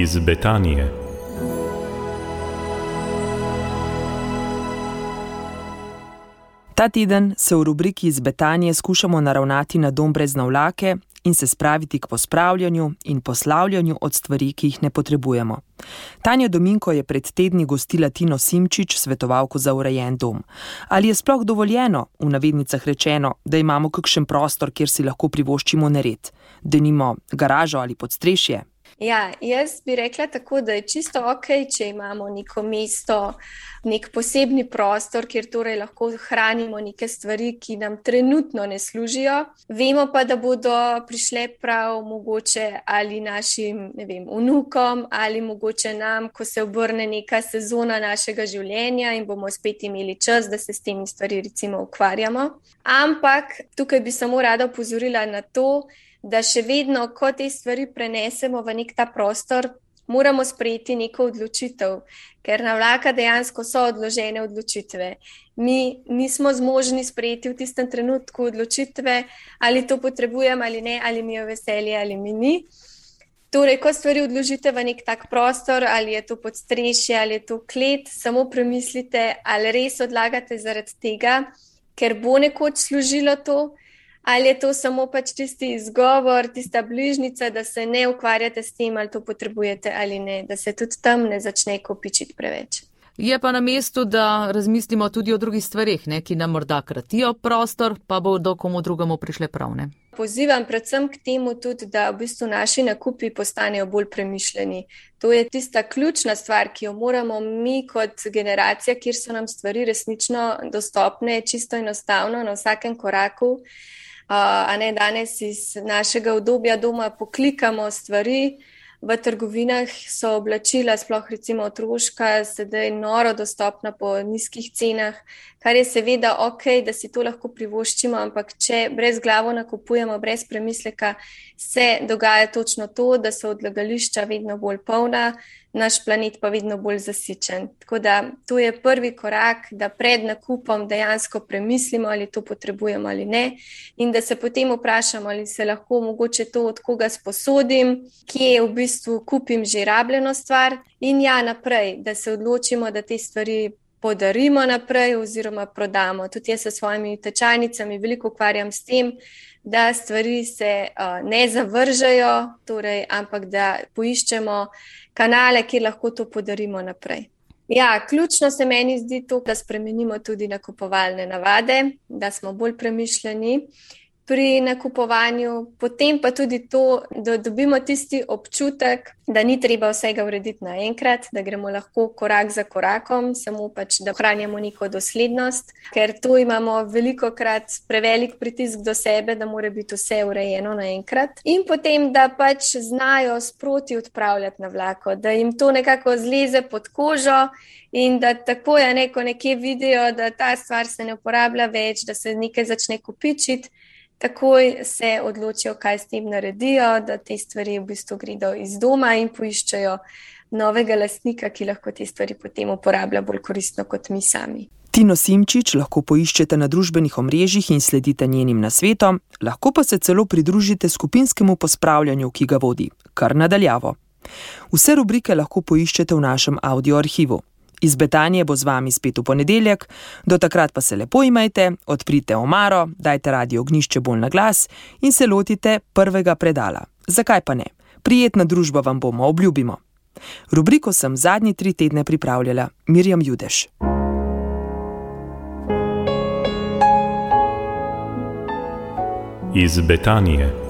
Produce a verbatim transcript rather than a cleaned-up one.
Iz Betanije. Ta teden se v rubriki Iz Betanije skušamo naravnati na dom brez navlake in se spraviti k pospravljanju in poslavljanju od stvari, ki jih ne potrebujemo. Tanja Dominko je pred tedni gostila Tino Simčič, svetovalko za urejen dom. Ali je sploh dovoljeno, v navednicah rečeno, da imamo kakšen prostor, kjer si lahko privoščimo nered, denimo garažo ali podstrešje? Ja, jaz bi rekla tako, da je čisto okej, če imamo neko mesto, nek posebni prostor, kjer torej lahko hranimo neke stvari, ki nam trenutno ne služijo. Vemo pa, da bodo prišle prav mogoče ali našim, ne vem, vnukom ali mogoče nam, ko se obrne neka sezona našega življenja in bomo spet imeli čas, da se s temi stvari recimo ukvarjamo. Ampak tukaj bi samo rada opozorila na to, da še vedno, ko te stvari prenesemo v nek ta prostor, moramo sprejeti neko odločitev, ker navlaka dejansko so odložene odločitve. Mi nismo zmožni sprejeti v tistem trenutku odločitve, ali to potrebujem ali ne, ali mi je veselje ali mi ni. Torej, ko stvari odložite v nek tak prostor, ali je to podstrešje, ali je to klet, samo premislite, ali res odlagate zaradi tega, ker bo nekoč služilo to, ali je to samo pač tisti izgovor, tista bližnica, da se ne ukvarjate s tem, ali to potrebujete ali ne, da se tudi tam ne začne kopičiti preveč. Je pa na mestu, da razmislimo tudi o drugih stvareh, ne, ki nam morda kratijo prostor, pa bodo komu drugemu prišle prav, ne? Pozivam predvsem k temu tudi, da v bistvu naši nakupi postanejo bolj premišljeni. To je tista ključna stvar, ki jo moramo mi kot generacija, kjer so nam stvari resnično dostopne, čisto enostavno na vsakem koraku. Uh, a ne danes iz našega udobja doma poklikamo stvari, v trgovinah so oblačila, sploh recimo otroška, sedaj noro dostopna po nizkih cenah, kar je seveda okej, da si to lahko privoščimo, ampak če brez glavo nakupujemo, brez premisleka, se dogaja točno to, da so odlagališča vedno bolj polna, naš planet pa vedno bolj zasičen. Tako da to je prvi korak, da pred nakupom dejansko premislimo, ali to potrebujemo ali ne, in da se potem vprašamo, ali se lahko mogoče to od koga sposodim, kje v bistvu kupim že rabljeno stvar in ja, naprej, da se odločimo, da te stvari podarimo naprej oziroma prodamo. Tudi jaz s svojimi tečajnicami veliko ukvarjam s tem, da stvari se uh, ne zavržajo, torej, ampak da poiščemo kanale, kjer lahko to podarimo naprej. Ja, ključno se meni zdi to, da spremenimo tudi nakupovalne navade, da smo bolj premišljeni pri nakupovanju, potem pa tudi to, da dobimo tisti občutek, da ni treba vsega urediti naenkrat, da gremo lahko korak za korakom, samo pač, da ohranjamo neko doslednost, ker to imamo velikokrat prevelik pritisk do sebe, da mora biti vse urejeno naenkrat. In potem, da pač znajo sproti odpravljati navlako, da jim to nekako zleze pod kožo in da tako je neko nekje vidijo, da ta stvar se ne uporablja več, da se nekaj začne kopičiti, takoj se odločijo, kaj s tem naredijo, da te stvari v bistvu gredo iz doma in poiščejo novega lastnika, ki lahko te stvari potem uporablja bolj koristno kot mi sami. Tino Simčič lahko poiščete na družbenih omrežjih in sledite njenim nasvetom, lahko pa se celo pridružite skupinskemu pospravljanju, ki ga vodi, kar nadaljavo. Vse rubrike lahko poiščete v našem audio arhivu. Iz Betanije bo z vami spet v ponedeljek, do takrat pa se lepo imejte, odprite omaro, dajte radio ognjišče bolj na glas in se lotite prvega predala. Zakaj pa ne? Prijetna družba vam bomo, obljubimo. Rubriko sem zadnji tri tedne pripravljala Mirjam Judeš. Iz Betanije.